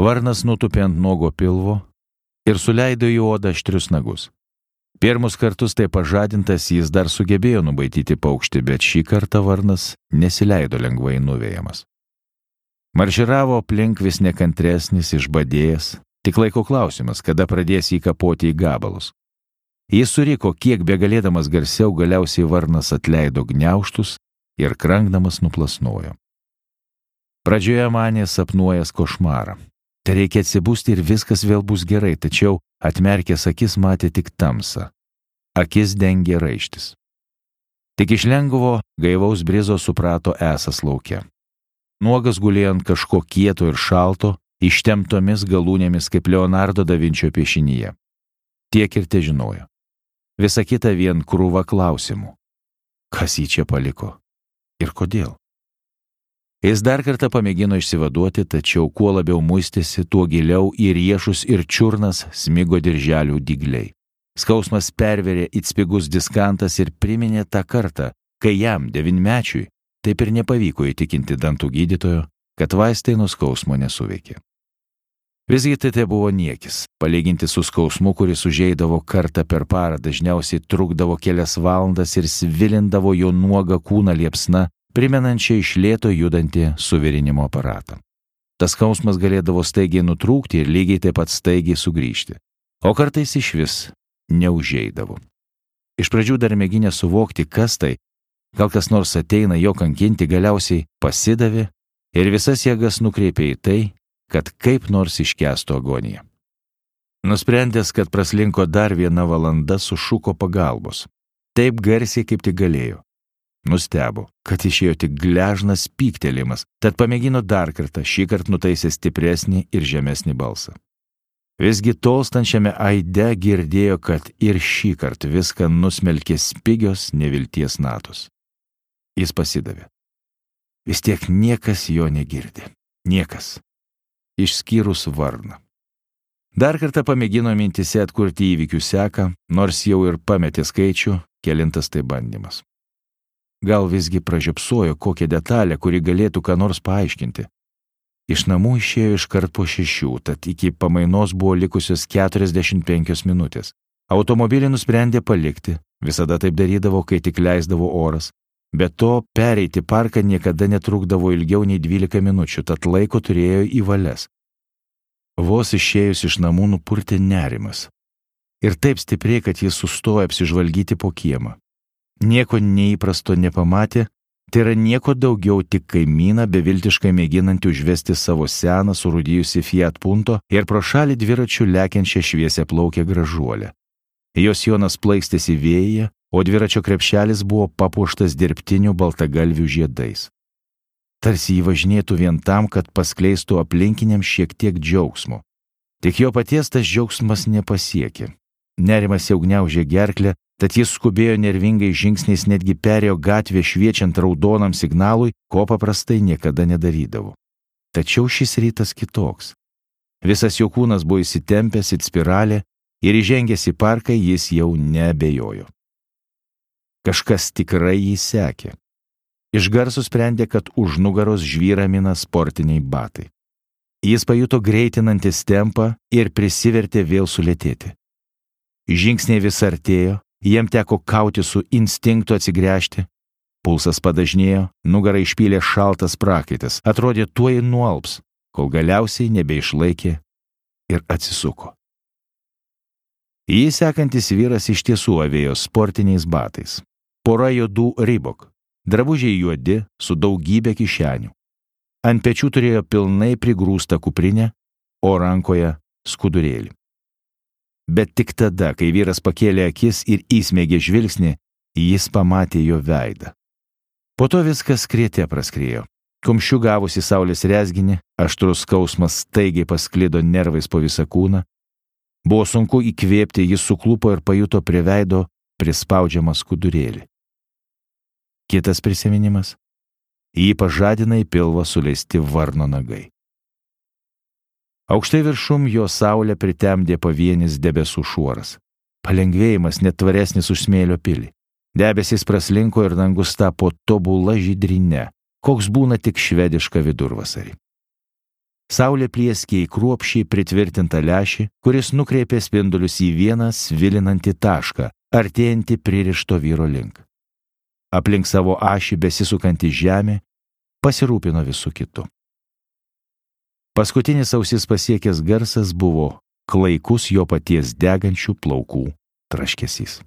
Varnas nutupė ant nuogo pilvo ir suleido į odą aštrius nagus. Pirmus kartus tai pažadintas jis dar sugebėjo nubaidyti paukštį, bet šį kartą varnas nesileido lengvai nuvejamas. Marširavo aplink vis nekantresnis, išbadėjęs, tik laiko klausimas, kada pradės jį kapoti į gabalus. Jis suriko, kiek begalėdamas garsiau, galiausiai varnas atleido gniaužtus ir krankdamas nuplasnojo. Pradžioje manė sapnuojas košmarą. Tai reikia atsibusti ir viskas vėl bus gerai, tačiau atmerkęs akis matė tik tamsą. Akis dengė raištis. Tik iš lengvo gaivaus brizo suprato esas lauke. Nuogas gulėjo ant kažko kieto ir šalto, ištemptomis galūnėmis kaip Leonardo da Vinčio piešinyje. Tiek ir težinojo. Visa kita vien krūva klausimų. Kas jį čia paliko? Ir kodėl? Jis dar kartą pamėgino išsivaduoti, tačiau kuo labiau muistėsi, tuo giliau į riešus ir čiurnas smigo dirželių dygliai. Skausmas perverė it spigus diskantas ir priminė tą kartą, kai jam, 9-mečiui, taip ir nepavyko įtikinti dantų gydytojo, kad vaistai nuo skausmo nesuveikė. Visgi tai buvo niekis, palyginti su skausmu, kuris užeidavo kartą per parą, dažniausiai trukdavo kelias valandas ir svilindavo jo nuogą kūną liepsna, primenančią iš lėto judantį suvirinimo aparatą. Tas skausmas galėdavo staigiai nutrūkti ir lygiai taip pat staigiai sugrįžti, o kartais išvis neužeidavo. Iš pradžių dar mėginę suvokti, kas tai, gal kas nors ateina jo kankinti, galiausiai pasidavė ir visas jėgas nukreipė į tai, kad kaip nors iškęstų agoniją. Nusprendęs, kad praslinko dar 1 valanda, sušuko pagalbos. Taip garsiai, kaip tik galėjo. Nustebo, kad išėjo tik gležnas pyktelimas, tad pamėgino dar kartą, šįkart nutaisė stipresnį ir žemesnį balsą. Visgi tolstančiame aide girdėjo, kad ir šįkart viską nusmelkė spigios nevilties natos. Jis pasidavė. Vis tiek niekas jo negirdi. Niekas. Išskyrus varną. Dar kartą pamėgino mintise atkurti įvykių seką, nors jau ir pametė skaičių, kelintas tai bandymas. Gal visgi pražiopsojo kokią detalę, kuri galėtų ką nors paaiškinti. Iš namų išėjo iškart po 6, tad iki pamainos buvo likusios 45 minutės. Automobilį nusprendė palikti, visada taip darydavo, kai tik leisdavo oras. Be to, pereiti parką niekada netrukdavo ilgiau nei 12 minučių, tad laiko turėjo į valias. Vos išėjus iš namų nupurtė nerimas. Ir taip stipriai, kad jis sustojo apsižvalgyti po kiemą. Nieko neįprasto nepamatė, tai yra nieko daugiau tik kaimyną beviltiškai mėginantį užvesti savo seną surūdijusi Fiat Punto ir pro šalį dviračių lekiančią šviesią plaukę gražuolę. Jos jonas plaikstėsi vėjyje, o dviračio krepšelis buvo papuoštas dirbtinių baltagalvių žiedais. Tarsi jį važinėtų vien tam, kad paskleistų aplinkiniams šiek tiek džiaugsmo. Tik jo paties tas džiaugsmas nepasiekė. Nerimas jau gniaužė gerklę, tad jis skubėjo nervingai žingsniais, netgi perėjo gatvę šviečiant raudonam signalui, ko paprastai niekada nedarydavo. Tačiau šis rytas kitoks. Visas jo kūnas buvo įsitempęs it spiralė ir įžengęs į parką jis jau neabejojo. Kažkas tikrai jį sekė. Iš garso sprendė, kad už nugaros žvyra mina sportiniai batai. Jis pajuto greitinantis tempą ir prisivertė vėl sulėtėti. Žingsniai vis artėjo, jiem teko kauti su instinktu atsigręžti. Pulsas padažnėjo, nugarą išpylė šaltas prakaitas, atrodė tuoj nualps, kol galiausiai nebeišlaikė ir atsisuko. Jį sekantis vyras iš tiesų avėjo sportiniais batais. Pora juodų Reebok, drabužiai juodi su daugybė kišenių. Ant pečių turėjo pilnai prigrūstą kuprinę, o rankoje skudurėlį. Bet tik tada, kai vyras pakėlė akis ir įsmeigė žvilgsnį, jis pamatė jo veidą. Po to viskas skriete praskriejo. Kumščiu gavusi saulės rezginį, aštrus skausmas staigiai pasklido nervais po visą kūną. Buvo sunku įkvėpti, jis suklupo ir pajuto prie veido prispaudžiamą skudurėlį. Kitas prisiminimas. Jį pažadina į pilvą suleisti varno nagai. Aukštai viršum jo saulę pritemdė pavienis debesų šuoras. Palengvėjimas net tvaresnis už smėlio pilį. Debesys praslinko ir dangus tapo tobula žydrine, koks būna tik švediška vidurvasarį. Saulė plieskė į kruopščiai pritvirtintą lęšį, kuris nukreipė spindulius į vieną svilinantį tašką, artėjantį pririšto vyro link. Aplink savo ašį besisukanti žemė pasirūpino visų kitų. Paskutinis ausis pasiekęs garsas buvo klaikus jo paties degančių plaukų traškesys.